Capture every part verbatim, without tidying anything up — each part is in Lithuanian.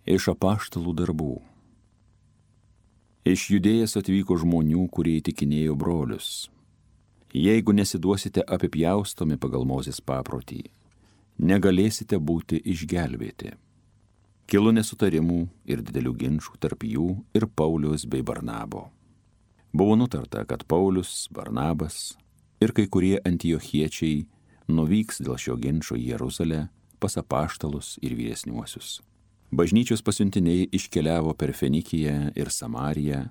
Iš apaštalų darbų. Iš Judėjos atvyko žmonių, kurie įtikinėjo brolius. Jeigu nesiduosite apipjaustomi pagal Mozės paprotį, negalėsite būti išgelbėti. Kilo nesutarimų ir didelių ginčų tarp jų ir Pauliaus bei Barnabo. Buvo nutarta, kad Paulius, Barnabas ir kai kurie antiochiečiai nuvyks dėl šio ginčo į Jeruzalę pas apaštalus ir vyresniuosius. Bažnyčios pasiuntiniai iškeliavo per Fenikiją ir Samariją,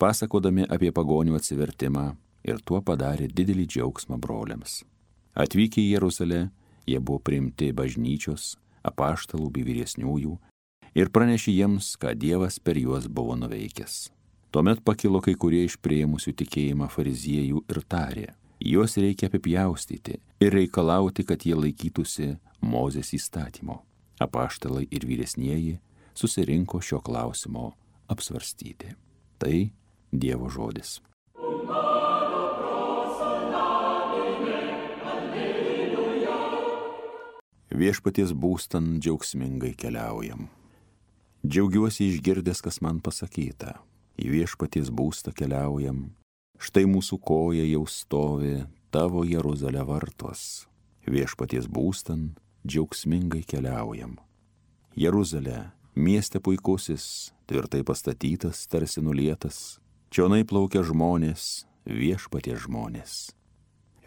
pasakodami apie pagonių atsivertimą, ir tuo padarė didelį džiaugsmą broliams. Atvykę į Jeruzalę, jie buvo priimti bažnyčios, apaštalų bei vyresniųjų ir pranešė jiems, ką Dievas per juos buvo nuveikęs. Tuomet pakilo kai kurie iš priėmusių tikėjimą fariziejų ir tarė, juos reikia apipjaustyti ir reikalauti, kad jie laikytųsi Mozės įstatymo. Apaštalai ir vyresnieji susirinko šio klausimo apsvarstyti. Tai Dievo žodis. Viešpaties būstan džiaugsmingai keliaujam. Džiaugiuosi išgirdęs, kas man pasakyta. Į viešpaties būstą keliaujam. Štai mūsų koja jau stovi tavo Jeruzalė vartos. Viešpaties būstan džiaugsmingai keliaujam. Jeruzalė, mieste puikusis, tvirtai pastatytas, tarsi nulietas. Čionai plaukia žmonės, viešpaties žmonės.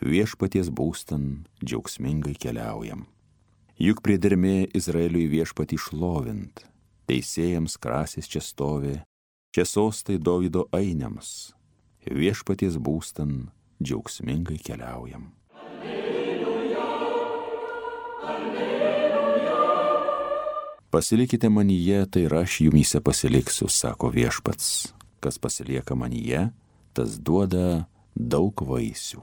Viešpaties būstan džiaugsmingai keliaujam. Juk priedermė Izraeliui viešpatį šlovint, teisėjams krasis čia stovi, čia sostai Dovydo ainiams, viešpaties būstan džiaugsmingai keliaujam. Alleluja, alleluja. Pasilikite manyje, tai ir aš jumyse pasiliksiu, sako viešpats. Kas pasilieka manyje, tas duoda daug vaisių.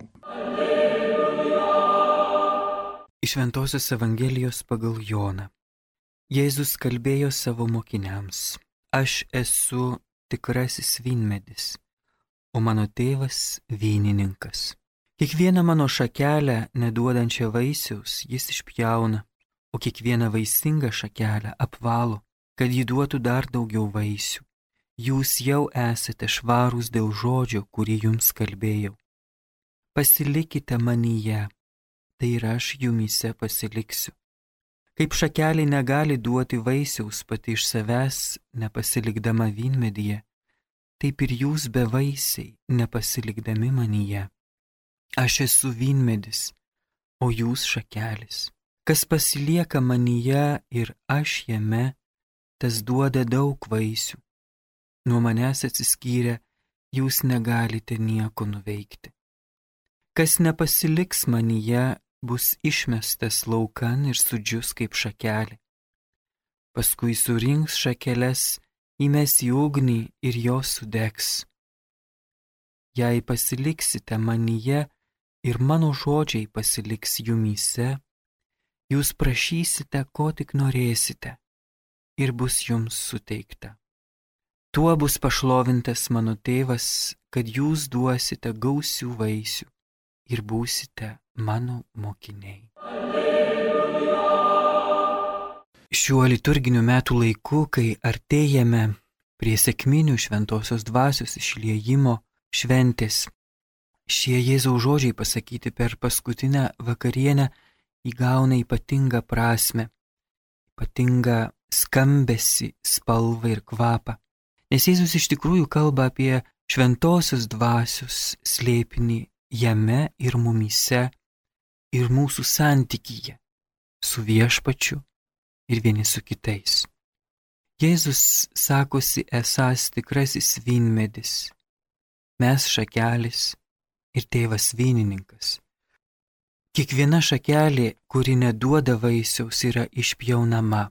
Iš Šventosios Evangelijos pagal Joną. Jėzus kalbėjo savo mokiniams: Aš esu tikrasis vynmedis, o mano tėvas vynininkas. Kiekvieną mano šakelę neduodančią vaisiaus jis išpjauna, o kiekvieną vaisingą šakelę apvalo, kad ji duotų dar daugiau vaisių. Jūs jau esate švarūs dėl žodžio, kurį jums kalbėjau. Pasilikite manyje, tai ir aš jumyse pasiliksiu. Kaip šakelė negali duoti vaisiaus pati iš savęs, nepasilikdama vynmedyje, taip ir jūs bevaisiai, nepasilikdami manyje. Aš esu vynmedis, o jūs šakelės. Kas pasilieka manyje ir aš jame, tas duoda daug vaisių. Nuo manęs atsiskyrę, jūs negalite nieko nuveikti. Kas nepasiliks manyje, bus išmestas laukan ir sudžius kaip šakelė. Paskui surinks šakeles, įmes į ugnį ir jos sudegs. Jei pasiliksite manyje ir mano žodžiai pasiliks jumyse, jūs prašysite, ko tik norėsite, ir bus jums suteikta. Tuo bus pašlovintas mano tėvas, kad jūs duosite gausių vaisių ir būsite mano mokiniai. Alleluja. Šiuo liturginiu metų laiku, kai artėjame prie sekminių šventosios dvasios išliejimo šventės, šie Jėzaus žodžiai pasakyti per paskutinę vakarienę įgauna ypatingą prasmę, ypatingą skambesį, spalvą ir kvapą. Nes Jėzus iš tikrųjų kalba apie šventosios dvasios slėpinį jame ir mumyse ir mūsų santykyje su viešpačiu ir vieni su kitais. Jėzus sakosi esąs tikrasis vynmedis, mes šakelės ir tėvas vynininkas. Kiekviena šakelė, kuri neduoda vaisiaus, yra išpjaunama,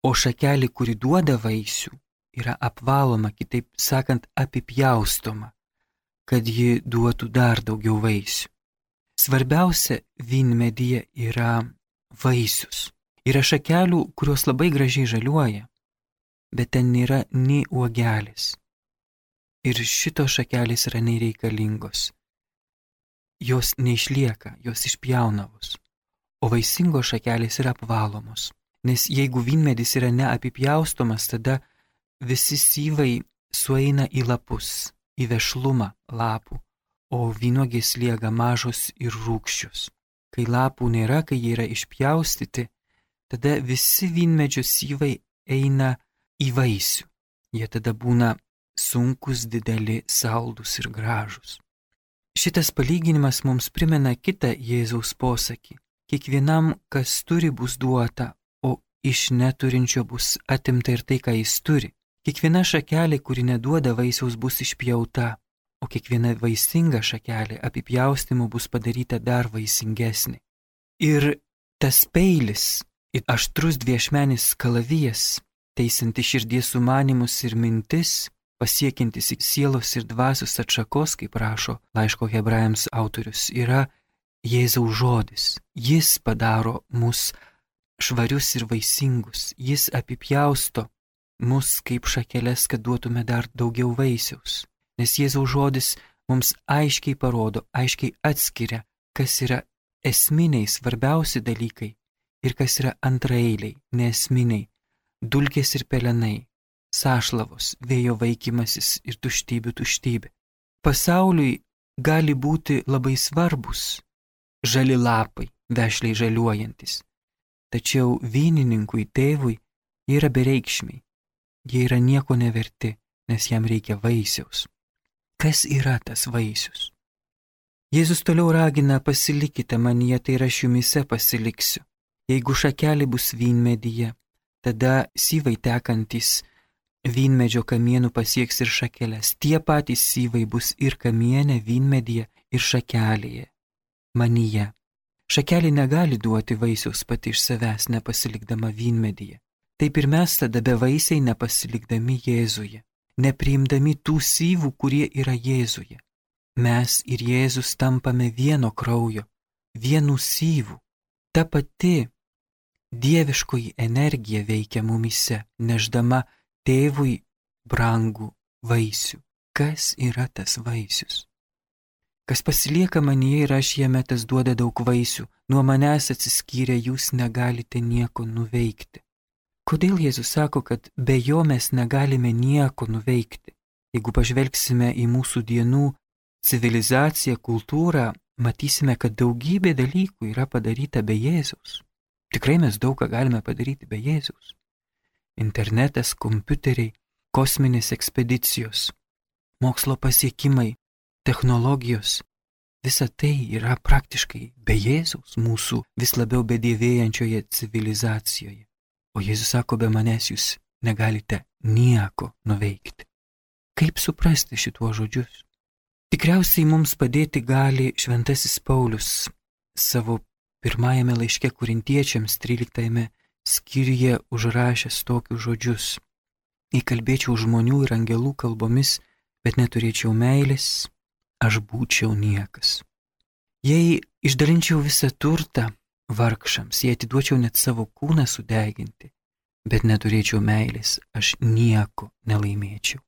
o šakelė, kuri duoda vaisių, yra apvaloma, kitaip sakant, apipjaustoma, kad ji duotų dar daugiau vaisių. Svarbiausia vynmedyje yra vaisius. Yra šakelių, kurios labai gražiai žaliuoja, bet ten nėra nei uogelės. Ir šitos šakelės yra nereikalingos. Jos neišlieka, jos išpjaunavos, o vaisingos šakelės yra apvalomos. Nes jeigu vynmedis yra neapipjaustomas, tada visi syvai sueina į lapus, į vešlumą lapų, o vynuogės lieka mažos ir rūgščios. Kai lapų nėra, kai jie yra išpjaustyti, tada visi vynmedžio syvai eina į vaisių. Jie tada būna sunkus, dideli, saldus ir gražus. Šitas palyginimas mums primena kitą Jėzaus posakį. Kiekvienam, kas turi, bus duota, o iš neturinčio bus atimta ir tai, ką jis turi. Kiekviena šakelė, kuri neduoda vaisiaus, bus išpjauta, o kiekviena vaisinga šakelė apipjaustimu bus padaryta dar vaisingesnė. Ir tas peilis, ir aštrus dviešmenis kalavijas, teisinti širdies sumanimus ir mintis, pasiekintis sielos ir dvasios atšakos, kaip rašo laiško Hebrajams autorius, yra Jėzaus žodis. Jis padaro mus švarius ir vaisingus. Jis apipjausto mus kaip šakeles, kad duotume dar daugiau vaisiaus. Nes Jėzaus žodis mums aiškiai parodo, aiškiai atskiria, kas yra esminiai, svarbiausi dalykai ir kas yra antraeiliai, neesminiai, dulkės ir pelenai, sąšlavos, vėjo vaikymasis ir tuštybių tuštybė. Pasauliui gali būti labai svarbus žali lapai, vešliai žaliuojantis. Tačiau vynininkui, tėvui, jie yra bereikšmiai. Jie yra nieko neverti, nes jam reikia vaisiaus. Kas yra tas vaisius? Jėzus toliau ragina: pasilikite manyje, tai ir aš jumise pasiliksiu. Jeigu šakelė bus vynmedyje, tada syvai tekantis vynmedžio kamienų pasieks ir šakeles. Tie patys syvai bus ir kamiene, vynmedyje ir šakelėje, manyje. Šakelė negali duoti vaisiaus pati iš savęs, nepasilikdama vynmedyje. Taip ir mes tada bevaisiai nepasilikdami Jėzuje, nepriimdami tų syvų, kurie yra Jėzuje. Mes ir Jėzus tampame vieno kraujo, vienų syvų. Ta pati dieviškoji energija veikia mumise, neždama tėvui brangų vaisių. Kas yra tas vaisius? Kas pasilieka manyje ir aš jame, tas duoda daug vaisių. Nuo manęs atsiskyrę jūs negalite nieko nuveikti. Kodėl Jėzus sako, kad be jo mes negalime nieko nuveikti? Jeigu pažvelgsime į mūsų dienų civilizaciją, kultūrą, matysime, kad daugybė dalykų yra padaryta be Jėzaus. Tikrai mes daug ką galime padaryti be Jėzaus. Internetas, kompiuteriai, kosminės ekspedicijos, mokslo pasiekimai, technologijos. Visa tai yra praktiškai be Jėzaus mūsų vis labiau bedėvėjančioje civilizacijoje. O Jėzus sako, be manęs jūs negalite nieko nuveikti. Kaip suprasti šituos žodžius? Tikriausiai mums padėti gali šventasis Paulius savo pirmajame laiške Korintiečiams tryliktajame skyriuje užrašęs tokius žodžius: jei kalbėčiau žmonių ir angelų kalbomis, bet neturėčiau meilės, aš būčiau niekas. Jei išdalinčiau visą turtą vargšams, jei atiduočiau net savo kūną sudeginti, bet neturėčiau meilės, aš nieko nelaimėčiau.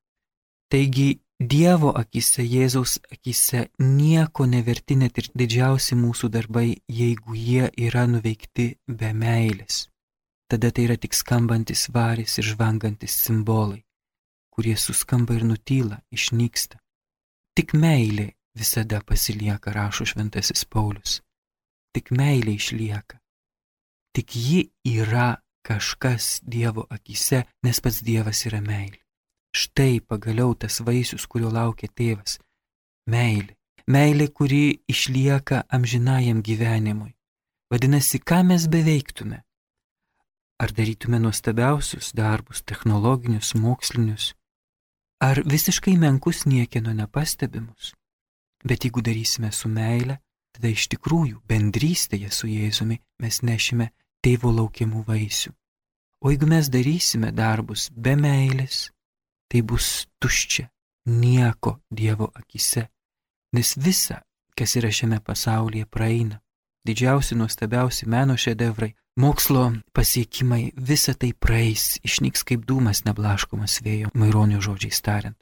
Taigi Dievo akise, Jėzaus akise nieko neverti net ir didžiausi mūsų darbai, jeigu jie yra nuveikti be meilės. Tada tai yra tik skambantis varis ir žvangantis simbolai, kurie suskamba ir nutyla, išnyksta. Tik meilė visada pasilieka, rašo šventasis Paulius. Tik meilė išlieka. Tik ji yra kažkas Dievo akise, nes pats Dievas yra meilė. Štai pagaliau tas vaisius, kurio laukia tėvas. Meilė. Meilė, kuri išlieka amžinajam gyvenimui. Vadinasi, ką mes beveiktume? Ar darytume nuostabiausius darbus, technologinius, mokslinius, ar visiškai menkus niekieno nepastebimus? Bet jeigu darysime su meile, tada iš tikrųjų bendrystėje su Jėzumi mes nešime tėvo laukiamų vaisių. O jeigu mes darysime darbus be meilės, tai bus tuščia, nieko Dievo akise, nes visa, kas yra šiame pasaulyje, praeina. Didžiausi, nuostabiausi meno šedevrai, mokslo pasiekimai, visa tai praeis, išnyks kaip dūmas neblaškomas vėjo, Maironio žodžiais tariant.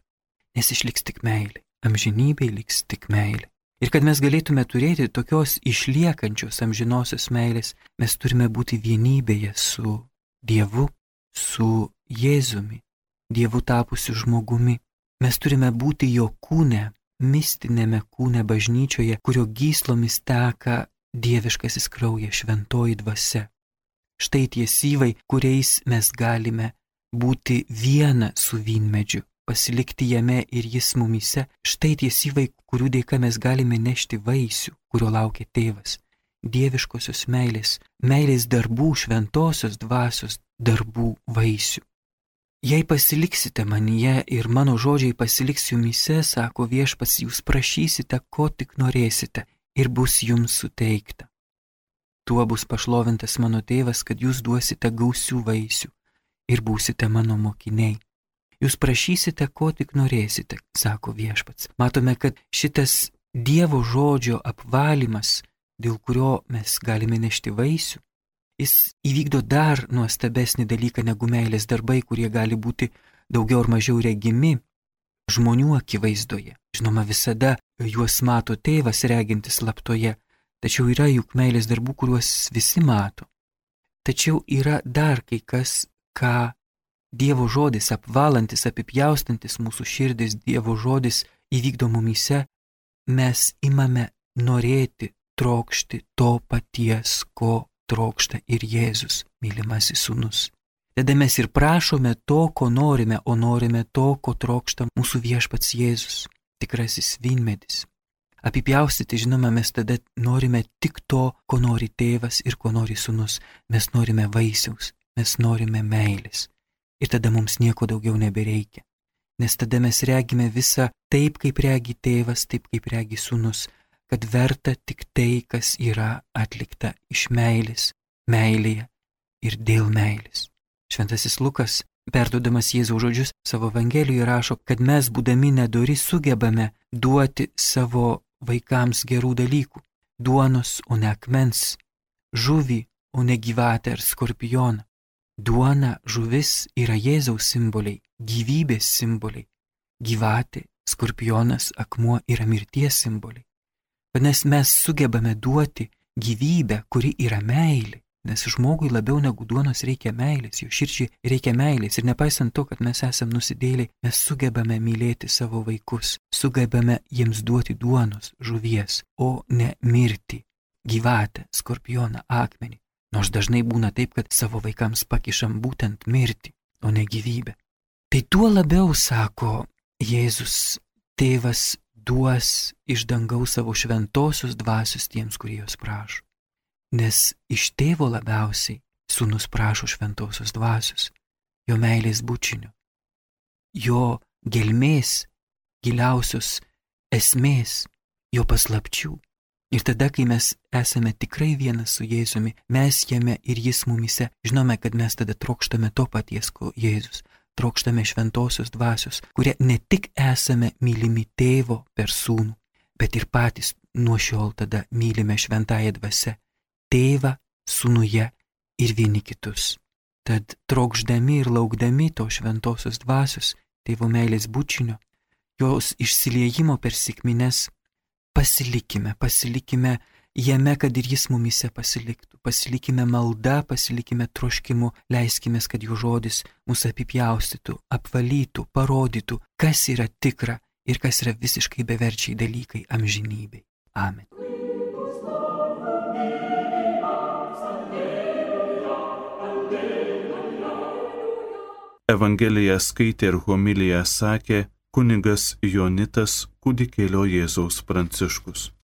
Nes išliks tik meilė, amžinybėj liks tik meilė. Ir kad mes galėtume turėti tokios išliekančios amžinosios meilės, mes turime būti vienybėje su Dievu, su Jėzumi, Dievu tapusiu žmogumi. Mes turime būti jo kūne, mistinėme kūne bažnyčioje, kurio gyslomis teka dieviškasis kraujas, šventoji dvasia. Štai tie syvai, kuriais mes galime būti viena su vynmedžiu, pasilikti jame ir jis mumyse. Štai tie syvai, kurių dėka mes galime nešti vaisių, kurio laukia tėvas. Dieviškosios meilės, meilės darbų, šventosios dvasios darbų vaisių. Jei pasiliksite manyje ir mano žodžiai pasiliks jumyse, sako Viešpats, jūs prašysite, ko tik norėsite, ir bus jums suteikta. Tuo bus pašlovintas mano tėvas, kad jūs duosite gausių vaisių ir būsite mano mokiniai. Jūs prašysite, ko tik norėsite, sako Viešpats. Matome, kad šitas Dievo žodžio apvalymas, dėl kurio mes galime nešti vaisių, jis įvykdo dar nuostabesnį dalyką negu meilės darbai, kurie gali būti daugiau ar mažiau regimi žmonių akivaizdoje. Žinoma, visada juos mato tėvas regintis slaptoje, tačiau yra juk meilės darbų, kuriuos visi mato. Tačiau yra dar kai kas, ką Dievo žodis, apvalantis, apipjaustantis mūsų širdis, Dievo žodis įvykdo mumyse, mes imame norėti, trokšti to paties, ko trokšta ir Jėzus, mylimasis sūnus. Tada mes ir prašome to, ko norime, o norime to, ko trokšta mūsų Viešpats Jėzus, tikrasis vynmedis. Apipjaustyti, žinoma, mes tada norime tik to, ko nori tėvas ir ko nori sūnus. Mes norime vaisiaus, mes norime meilės. Ir tada mums nieko daugiau nebereikia. Nes tada mes regime visą taip, kaip regi tėvas, taip, kaip regi sūnus, kad verta tik tai, kas yra atlikta iš meilės, meilėje ir dėl meilės. Šventasis Lukas, perduodamas Jėzaus žodžius savo Evangelijoje, rašo, kad mes, būdami nedori, sugebame duoti savo vaikams gerų dalykų – duonos, o ne akmens, žuvį, o ne gyvatę ar skorpioną. Duona, žuvis yra Jėzaus simboliai, gyvybės simboliai. Gyvatė, skorpionas, akmuo yra mirties simboliai. Vadinasi, mes sugebame duoti gyvybę, kuri yra meilė, nes žmogui labiau negu duonos reikia meilės, jo širdžiai reikia meilės ir nepaisant to, kad mes esame nusidėliai, mes sugebame mylėti savo vaikus, sugebame jiems duoti duonos, žuvies, o ne mirtį, gyvatę, skorpioną, akmenį. Nors dažnai būna taip, kad savo vaikams pakišam būtent mirtį, o ne gyvybę. Tai tuo labiau, sako Jėzus, tėvas duos iš dangaus savo šventosios dvasios tiems, kurie jos prašo. Nes iš tėvo labiausiai sūnus prašo šventosios dvasios, jo meilės bučinio, jo gelmės, giliausios esmės, jo paslapčių. Ir tada, kai mes esame tikrai vienas su Jėzumi, mes jame ir jis mumise, žinome, kad mes tada trokštame to paties, ko Jėzus. Trokštame šventosios dvasios, kurie ne tik esame mylimi tėvo per sūnų, bet ir patys nuo šiol tada mylime šventąją dvasią, tėvą, sūnuje ir vieni kitus. Tad trokšdami ir laukdami to šventosios dvasios, tėvo meilės bučinio, jos išsiliejimo per sekmines, pasilikime, pasilikime jame, kad ir jis mumise pasiliktų. Pasilikime malda, pasilikime troškimu, leiskime, kad jo žodis mus apipjaustytų, apvalytų, parodytų, kas yra tikra ir kas yra visiškai beverčiai dalykai amžinybei. Amen. Evangeliją skaitė ir homiliją sakė kunigas Jonitas Kūdikėlio Jėzaus Pranciškus.